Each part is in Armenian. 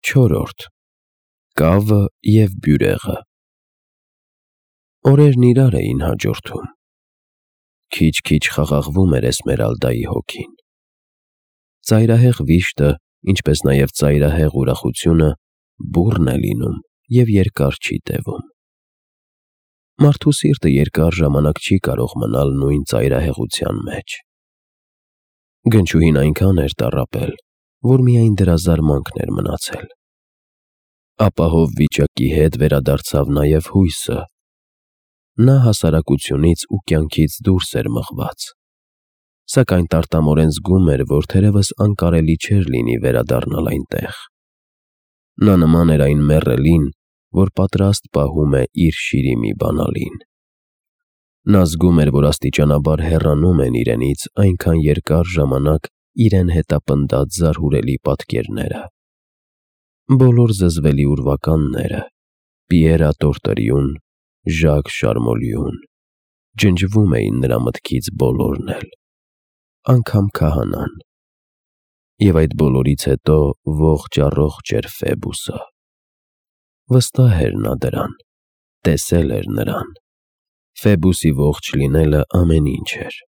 Չորրորդ. Կավը և բյուրեղը։ Օրերն իրար էին հաջորդում։ Քիչ-քիչ խաղաղվում էր Էսմերալդայի հոգին։ Ծայրահեղ վիշտը, ինչպես նաև ծայրահեղ ուրախությունը բուռն է լինում և երկար չի տևում։ Մարդու սիրտը երկար ժամանակ չի կարող մնալ նույն ծայրահեղության մեջ։ Գնչուհին այնքան էր տառապել, որ միայն դրա զարմանքն էր մնացել։ Ապահով վիճակի հետ վերադարձավ նաև հույսը։ Նա հասարակությունից ու կյանքից դուրս էր մղված, սակայն տարտամորեն զգում էր, որ թերևս անկարելի չէր լինի վերադառնալ այնտեղ։ Նա նման էր այն մեռելին, որ պատրաստ պահում է իր շիրիմի բանալին։ Նա զգում էր, որ աստիճանաբար հեռանում են իրենից այնքան երկար ժամանակ իրեն հետապնդած զարհուրելի պատկերները։ Բոլոր զզվելի ուրվականները՝ Պիերա Տորտերյուն, Ժակ Շարմոլիուն, ջնջվում էին նրա մտքից բոլորն էլ, անգամ քահանան։ Եվ այդ բոլորից հետո ողջ-առողջ էր Ֆեբուսը։ Վստահ էր նա դրան, տեսել էր նրան։ Ֆեբուսի ողջ լինելը ամեն ինչ էր։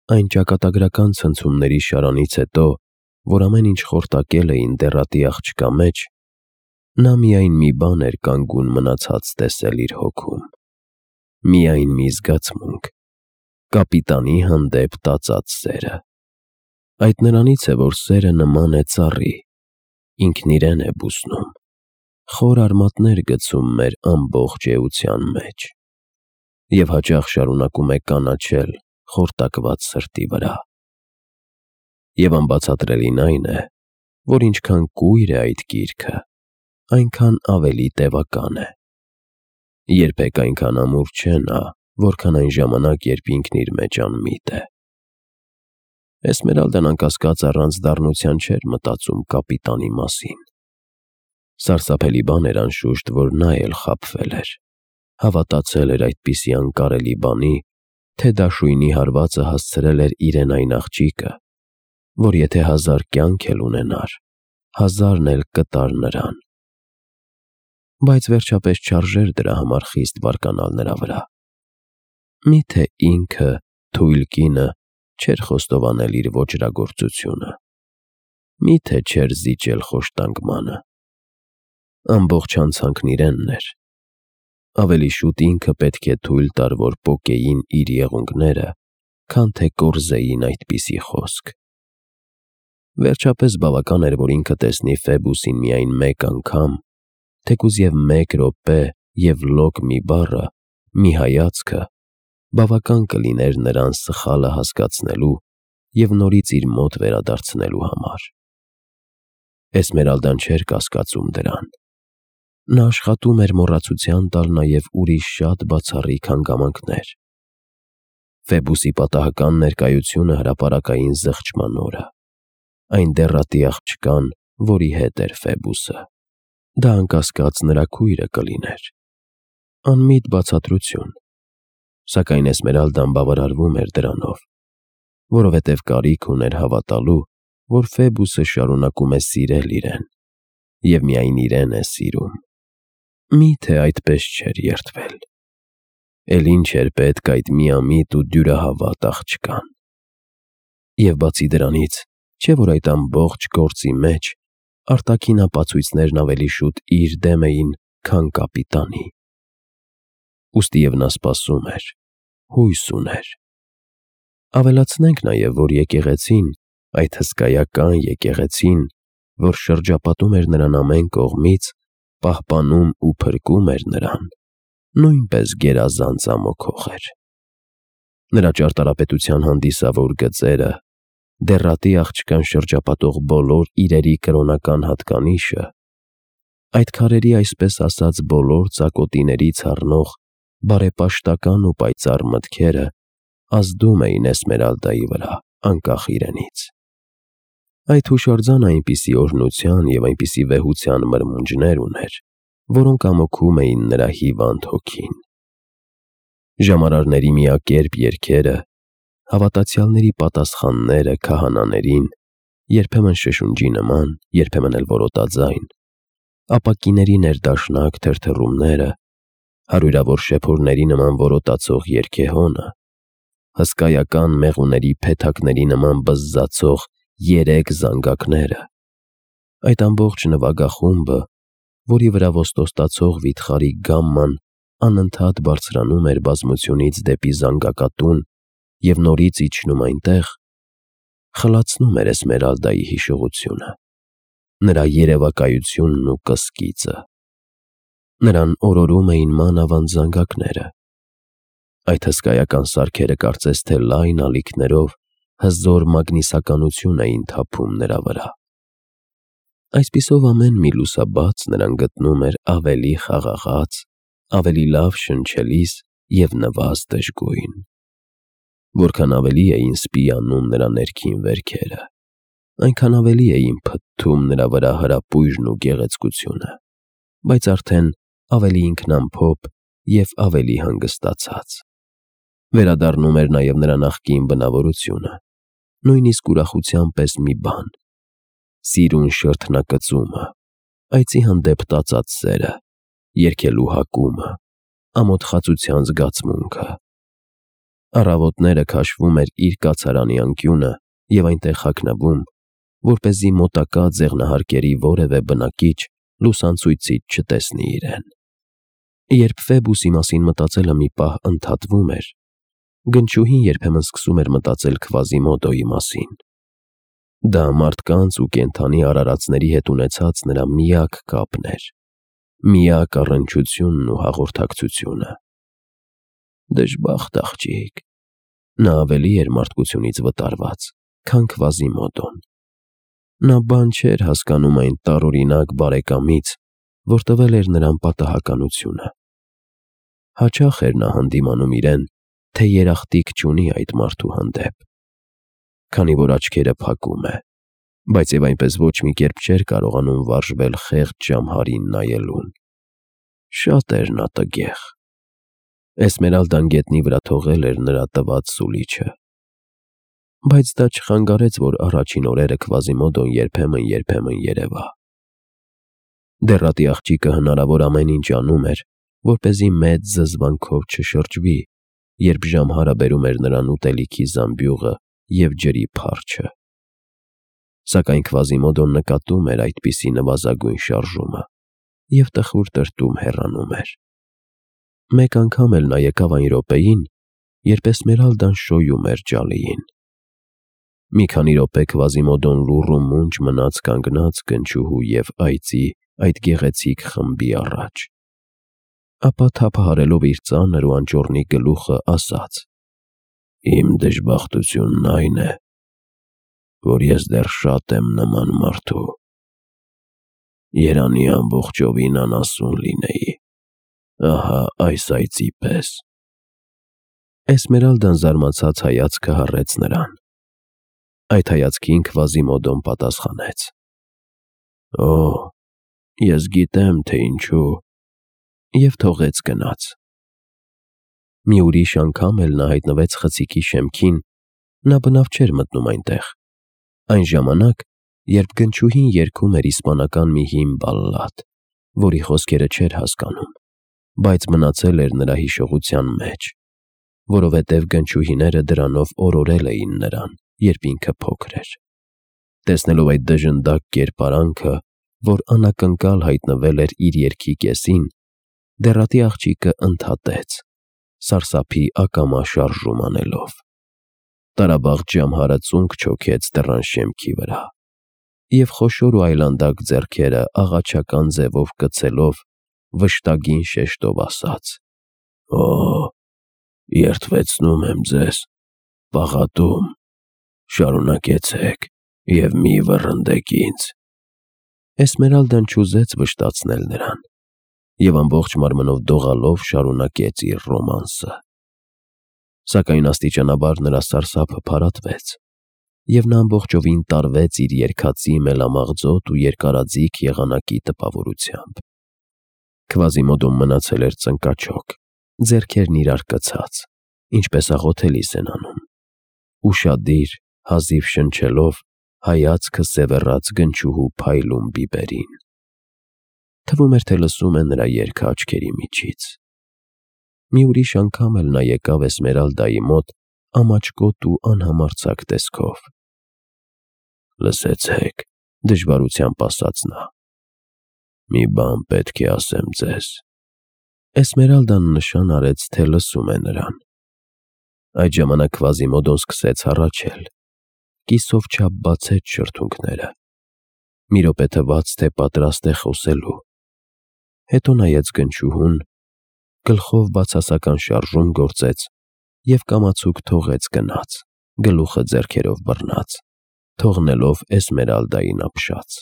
Այն ճակատագրական ցնցումների շարանից հետո, որ ամեն ինչ խորտակել էին դեռատի աղջկա մեջ, նա միայն մի բան էր կանգուն մնացած տեսել իր հոգում։ Միայն մի զգացմունք՝ կապիտանի հանդեպ տածած սերը։ Այդ նրանից է, որ սերը նման է ծառի, ինքն իրեն է բուսնում, խոր արմատներ գցում մեր ամբողջ էության մեջ և հաճախ շարունակում է կանաչել խորտակված սրտի վրա։ Եվ անբացատրելին այն է, որ ինչքան կույր է այդ գիրքը, այնքան ավելի տևական է։ Երբեք այնքան ամուր չէ նա, որքան այն ժամանակ, երբ ինքն իր մեջ անմիտ է։ Էսմերալդան անկասկած առանց դառնության չէր մտածում կապիտանի մասին։ Սարսափելի բան էր անշուշտ, որ նա էլ խաբվել էր, հավատացել էր այդպիսի անկարելի բանի, թե դաշույնի հարվածը հասցրել էր իրեն այն աղջիկը, որ եթե 1000 կյանք էլ ունենար, 1000-ն էլ կտար նրան։ Բայց վերջապես չարժեր դրա համար խիստ բարկանալ նրա վրա։ Միթե ինքը, թույլ կինը, չէր խոստովանել իր ոճրագործությունը։ Միթե չէր զիջել խոշտանգմանը։ Ամբողջ հանցանքն իրենն էր։ Ավելի շուտ ինքը պետք է թույլ տար, որ պոկեին իր եղունգները, քան թե կորզեին այդպիսի խոսք։ Վերջապես բավական էր, որ ինքը տեսնի Ֆեբուսին միայն մեկ անգամ, թեկուզ և 1 րոպե և լոկ մի բառը, մի հայացքը, բավական կլիներ նրան սխալը հասկացնելու և նորից իր մոտ վերադարձնելու համար։ Էսմերալդան չէր կասկածում դրան։ Նա աշխատում էր մոռացության տալ նաև ուրիշ շատ բացառիկ հանգամանքներ։ Ֆեբուսի պատահական ներկայությունը հրապարակային զղջման օրը, այն դեռատի աղջկան, որի հետ էր Ֆեբուսը։ Դա անկասկած նրա քույրը կլիներ։ Անմիտ բացատրություն։ Սակայն Էսմերալդան բավարարվում էր դրանով, որովհետև կարիք ուներ հավատալու, որ Ֆեբուսը շարունակում է սիրել իրեն և միայն իրեն է սիրում։ Միթե այդպես չէր երդվել։ Էլ ինչ էր պետք այդ միամիտ ու դյուրահավատ աղջկան։ Եվ բացի դրանից, չէ՞ որ այդ ամբողջ գործի մեջ արտաքին ապացույցներն ավելի շուտ իր դեմ էին, քան կապիտանի։ Ուստի և նա սպասում էր, հույս ուներ։ Ավելացնենք նաև, որ եկեղեցին, այդ հսկայական եկեղեցին, որ շրջապատում էր նրան ամեն կողմից, պահպանում ու փրկում էր նրան, նույնպես գերազանց ամոքող էր։ Նրա ճարտարապետության հանդիսավոր գծերը, դեռատի աղջկան շրջապատող բոլոր իրերի կրոնական հատկանիշը, այդ քարերի այսպես ասած բոլոր ծակոտիներից առնող բարեպաշտական ու պայծառ մտքերը ազդում էին Էսմերալդայի վրա, անկախ իրենից։ Այդ հուշարձանը այնպիսի օրհնության և այնպիսի վեհության մրմունջներ ուներ, որոնք ամոքում էին նրա հիվանդ հոգին։ Ժամարարների միակերպ երգերը, հավատացյալների պատասխանները քահանաներին, երբեմն շշունջի նման, երբեմն էլ որոտաձայն, ապակիների ներդաշնակ թրթռումները, հարյուրավոր շեփորների նման որոտացող երգեհոնը, հսկայական մեղուների փեթակների նման բզզացող երեք զանգակները, այդ ամբողջ նվագախումբը, որի վրա ոստոստացող վիթխարի գամման անընդհատ բարձրանում էր բազմությունից դեպի զանգակատուն և նորից իջնում այնտեղ, խլացնում էր Էսմերալդայի հիշողությունը, նրա երևակայությունն ու կսկիծը։ Նրան օրորում էին մանավանդ զանգակները։ Այդ հսկայական սարքերը կարծես թե լայն ալիքներով հզոր մագնիսականություն էին թափում նրա վրա։ Այսպիսով ամեն մի լուսաբաց նրան գտնում էր ավելի խաղաղած, ավելի լավ շնչելիս և նվազ դժգույն։ Որքան ավելի էին սպիանում նրա ներքին վերքերը, այնքան ավելի էին փթթում նրա վրա հրապույրն ու գեղեցկությունը, բայց արդեն ավելի ինքնամփոփ և ավելի հանգստացած։ Վերադառնում էր նաև նրա նախկին բնավորությունը, նույնիսկ ուրախության պես մի բան՝ սիրուն շրթնակծումը, այծի հանդեպ տածած սերը, երգելու հակումը, ամոթխածության զգացմունքը։ Առավոտները քաշվում էր իր կացարանի անկյունը և այնտեղ հագնվում, որպեսզի մոտակա ձեղնահարկերի որևէ բնակիչ լուսանցույցից չտեսնի իրեն։ Երբ Ֆեբուսի մասին մտածելը մի պահ ընդհատվում էր, գնչուհին երբեմն սկսում էր մտածել Քվազիմոդոյի մասին։ Դա մարդկանց ու կենդանի արարածների հետ ունեցած նրա միակ կապն էր, միակ առնչությունն ու հաղորդակցությունը։ Դժբախտ աղջիկ, նա ավելի էր մարդկությունից վտարված, քան Քվազիմոդոն։ Նա բան չէր հասկանում այն տարօրինակ բարեկամից, որ տվել էր նրան պատահականությունը։ Հաճախ էր նա հանդիմանում իրեն, թե երախտիկ չունի այդ մարդու հանդեպ, քանի որ աչքերը փակում է, բայց և այնպես ոչ մի կերպ չէր կարողանում վարժվել խեղճ ժամհարին նայելուն։ Շատ էր նա տգեղ։ Էսմերալդան գետնի վրա թողել էր նրա տված սուլիչը։ Բայց դա չխանգարեց, որ առաջին օրերը Քվազիմոդոն երբեմն երևա։ Դեռատի աղջիկը հնարավոր ամեն ինչ անում էր, որպեսզի մեծ զզվանքով չշրջվի, երբ ժամհարը բերում էր նրան ուտելիքի զամբյուղը և ջրի փարչը։ Սակայն Քվազիմոդոն նկատում էր այդպիսի նվազագույն շարժումը և տխուր տրտում հեռանում էր։ Մեկ անգամ էլ նա եկավ այն րոպեին, երբ Էսմերալդան շոյում էր ջալիին։ Մի քանի րոպե Քվազիմոդոն լուռ ու մունջ մնաց կանգնած գնչուհու և այծի այդ գեղեցիկ խմբի առաջ, ապա թափահարելով իր ծանր ու անճոռնի գլուխը ասաց. «Իմ դժբախտությունն այն է, որ ես դեռ շատ եմ նման մարդու։ Երանի ամբողջովին անասուն լինեի, ահա այս այծի պես»։ Էսմերալդան զարմացած հայացքը հառեց նրան։ Այդ հայացքին Քվազիմոդոն պատասխանեց. «Օ, ես գիտեմ, թե ինչու», և թողեց գնաց։ Մի ուրիշ անգամ էլ նա հայտնվեց խցիկի շեմքին, նա բնավ չէր մտնում այնտեղ, այն ժամանակ, երբ գնչուհին երգում էր իսպանական մի հին բալլադ, որի խոսքերը չէր հասկանում, բայց մնացել էր նրա հիշողության մեջ, որովհետև գնչուհիները դրանով օրորել էին նրան, երբ ինքը փոքր էր։ Տեսնելով այդ դժնդակ կերպարանքը, որ անակնկալ հայտնվել էր իր երգի կեսին, դեռատի աղջիկը ընդհատեց, սարսափի ակամա շարժում անելով։ Տարաբաղ ժամհարը ծունկ չոքեց դռան շեմքի վրա, և խոշոր ու այլանդակ ձեռքերը աղաչական ձևով կցելով, վշտագին շեշտով ասաց. «Օ, երդվեցնում եմ ձեզ, պաղատում, շարունակեցեք և մի վռնդեք ինձ»։ Էսմերալդան չուզեց վշտացնել նրան և ամբողջ մարմնով դողալով շարունակեց իր ռոմանսը։ Սակայն աստիճանաբար նրա սարսափը փարատվեց, և նա ամբողջովին տարվեց իր երգածի մելամաղձոտ ու երկարաձիգ եղանակի տպավորությամբ։ Քվազիմոդոն մնացել էր ծնկաչոք, ձեռքերն իրար կցած, ինչպես աղոթելիս են անում, ուշադիր, հազիվ շնչելով, հայացքը սևեռաց գնչուհու փայլուն բիբերին։ Թվում էր, թե լսում է նրա երգը աչքերի միջից։ Մի ուրիշ անգամ էլ նա եկավ Էսմերալդայի մոտ ամաչկոտ ու անհամարձակ տեսքով։ «Լսեցեք», դժվարությամբ ասաց նա, «մի բան պետք է ասեմ ձեզ»։ Էսմերալդան նշան արեց, թե լսում է նրան։ Այդ ժամանակ Քվազիմոդոն սկսեց հառաչել, կիսով չափ բացեց շրթունքները։ Մի րոպե թվաց, թե պատրաստ է խոսելու։ Հետո նայեց գնչուհուն, գլխով բացասական շարժում գործեց և կամացուկ թողեց գնաց, գլուխը ձեռքերով բռնած, թողնելով Էսմերալդային ապշած։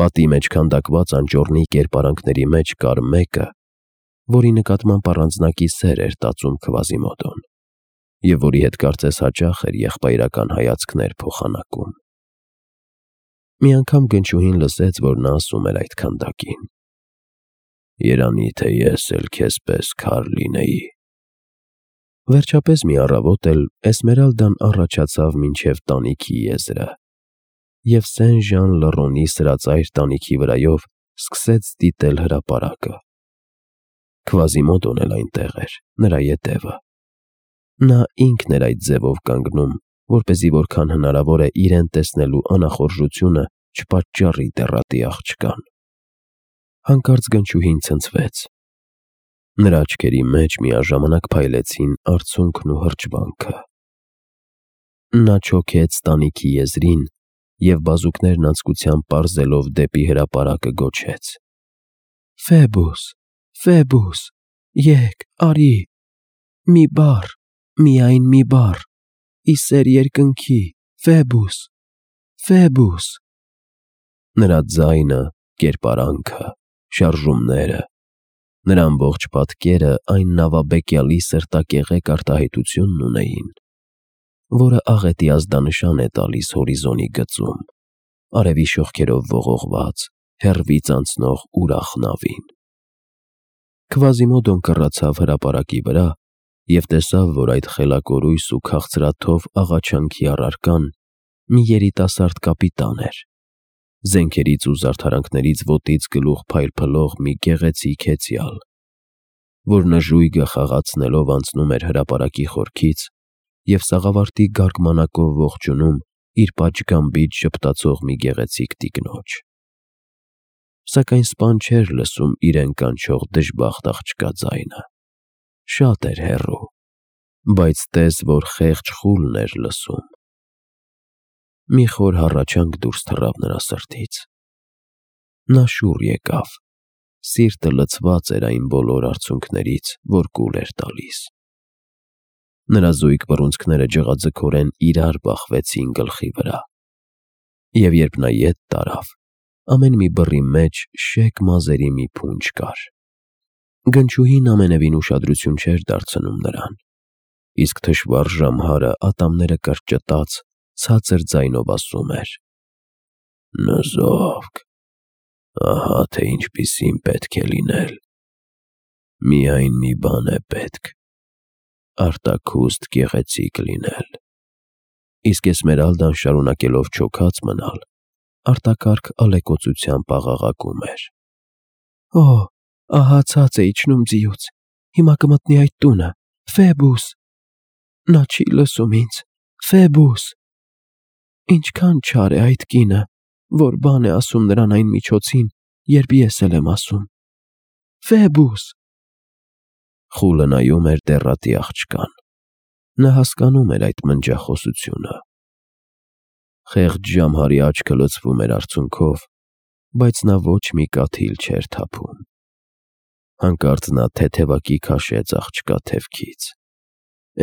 Պատի մեջ քանդակված անճոռնի կերպարանքների մեջ կար մեկը, որի նկատմամբ առանձնակի սեր էր տածում Քվազիմոդոն, և որի հետ կարծես հաճախ էր եղբայրական հայացքներ փոխանակում։ Մի անգամ գնչուհին լսեց, որ նա ասում էր այդ քանդակին. «Երանի թե ես էլ քեզ պես քար լինեի»։ Վերջապես մի առավոտ էլ Էսմերալդան առաջացավ մինչև տանիքի եզրը, և Սեն-Ժան Լռոնի սրածայր տանիքի վրայով սկսեց դիտել հրապարակը։ Քվազիմոդոն էլ այնտեղ էր, նրա ետևը։ Նա ինքն էր այդ ձևով կանգնում, որպեսզի որքան հնարավոր է իրեն տեսնելու անախորժությունը չպատճառի դեռատի աղջկան։ Հանկարծ գնչուհին ցնցվեց։ Նրա աչքերի մեջ միաժամանակ փայլեցին արցունքն ու հրճվանքը։ Նա չոքեց տանիքի եզրին և բազուկներն անձկությամբ պարզելով դեպի հրապարակը գոչեց. «Ֆեբուս, Ֆեբուս, եկ, արի, մի բառ, միայն մի բառ, ի սեր երկնքի, Ֆեբուս, Ֆեբուս»։ Նրա ձայնը, կերպարանքը, շարժումները, նրա ամբողջ պատկերը այն նավաբեկյալի սրտակեղեկ արտահայտությունն ունեին, որը աղետի ազդանշան է տալիս հորիզոնի գծում, արևի շողքերով ողողված, հեռվից անցնող ուրախ նավին։ Քվազիմոդոն կռացավ հրապարակի վրա և տեսավ, որ այդ խելակորույս ու քաղցրաթով աղաչանքի առարկան մի երիտասարդ կապիտան էր, զենքերից ու զարդարանքներից ոտից գլուխ փայլփլող մի գեղեցիկ հեծյալ, որ նժույգը խաղացնելով անցնում էր հրապարակի խորքից և սաղավարտի գարգմանակով ողջունում իր պատշգամբից ժպտացող մի գեղեցիկ տիկնոջ։ Սակայն սպան չէր լսում իրեն կանչող դժբախտ աղջկա ձայնը։ Շատ էր հեռու, բայց տես, որ խեղճ խուլն էր լսում։ Մի խոր հառաչանք դուրս թռավ նրա սրտից։ Նա շուռ եկավ, սիրտը լցված էր այն բոլոր արցունքներից, որ կուլ էր տալիս։ Նրա զույգ բռունցքները ջղաձգորեն իրար բախվեցին գլխի վրա, և երբ նա ետ տարավ, ամեն մի բռի մեջ շեկ մազերի մի փունջ կար։ Գնչուհին ամենևին ուշադրություն չէր դարձնում նրան, իսկ թշվառ ժամհարը ատամները կրճտած ցածր ձայնով ասում էր. «Նզովք, ահա թե ինչպիսին պետք է լինել։ Միայն մի բան է պետք. արտաքուստ գեղեցիկ լինել»։ Իսկ Էսմերալդան շարունակելով չոքած մնալ, արտակարգ ալեկոծությամբ աղաղակում էր. «Օ, ահա ցած է իջնում ձիուց, հիմա կմտնի այդ տունը, Ֆեբուս, նա չի լսում ինձ, Ֆեբուս, ինչքան չար է այդ կինը, որ բան է ասում նրան այն միջոցին, երբ ես էլ եմ ասում, Ֆեբուս»։ Խուլը նայում էր դեռատի աղջկան։ Նա հասկանում էր այդ մնջախոսությունը։ Խեղճ ժամհարի աչքը լցվում էր արցունքով, բայց նա ոչ մի կաթիլ չէր թափում։ Հանկարծ նա թեթևակի քաշեց աղջկա թևքից։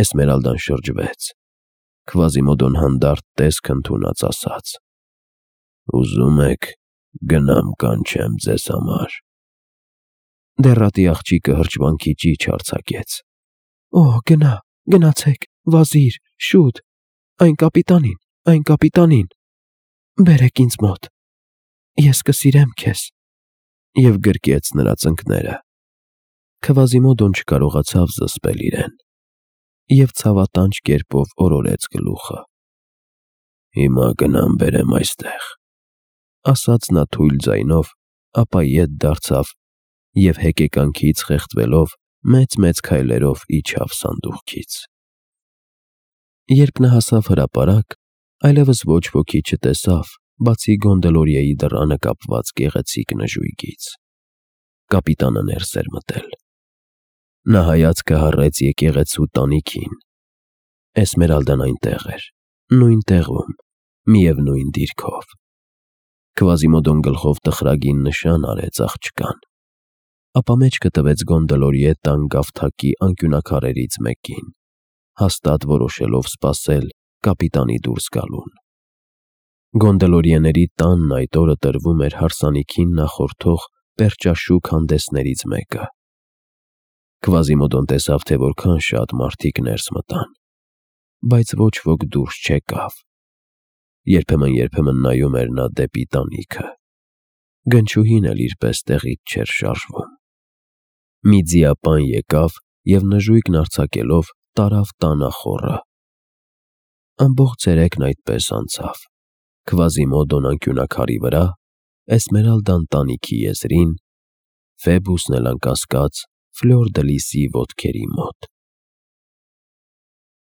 Էսմերալդան շրջվեց։ Քվազիմոդոն հանդարտ տեսք ընդունած ասաց. «Ուզում եք գնամ կանչեմ ձեզ համար»։ Դեռատի աղջիկը հրճվանքի ճիչ արձակեց. «Օ, գնա, գնացեք, վազիր, շուտ, այն կապիտանին, բերեք ինձ մոտ, ես կսիրեմ քեզ», և գրկեց նրա ծնկները։ Քվազիմոդոն չկարողացավ զսպել իրեն և ցավատանջ կերպով օրորեց գլուխը։ «Հիմա գնամ բերեմ այստեղ», ասաց նա թույլ ձայնով ապա ետ դարձավ և հեկեկանքից խեղդվելով մեծ-մեծ քայլերով իջավ սանդուղքից։ Երբ նա հասավ հրապարակ, այլևս ոչ ոքի չտեսավ, բացի Գոնդոլոյեի դռանը կապված գեղեցիկ նժույգից։ Կապիտանը ներս էր մտել։ Նա հայացքը հառեց եկեղեցու տանիքին։ Էսմերալդան այնտեղ էր, նույն տեղում, միևնույն դիրքով։ Քվազիմոդոն գլխով տխրագին նշան արեց աղջկան, ապա մեջքը տվեց Գոնդոլոյե տան գավթակի անկյունաքարերից մեկին, հաստատ որոշելով սպասել կապիտանի դուրս գալուն։ Գոնդոլոյեների տանն այդ օրը տրվում էր հարսանիքին նախորդող պերճաշուք հանդեսներից մեկը։ Քվազիմոդոն տեսավ, թե որքան շատ մարդիկ ներս մտան, բայց ոչ ոք դուրս չեկավ։ Երբեմն նայում էր նա դեպի տանիքը։ Գնչուհին էլ իրպես տեղից չէր շարժվում։ Մի ձիապան եկավ և նժույգն արձակելով տարավ տանախոռը։ Ամբողջ ցերեկն այդպես անցավ։ Քվազիմոդոն անկյունաքարի վրա, Էսմերալդան տանիքի եզրին, Ֆեբուսն էլ անկասկած Ֆլյոր դը Լիսի ոտքերի մոտ։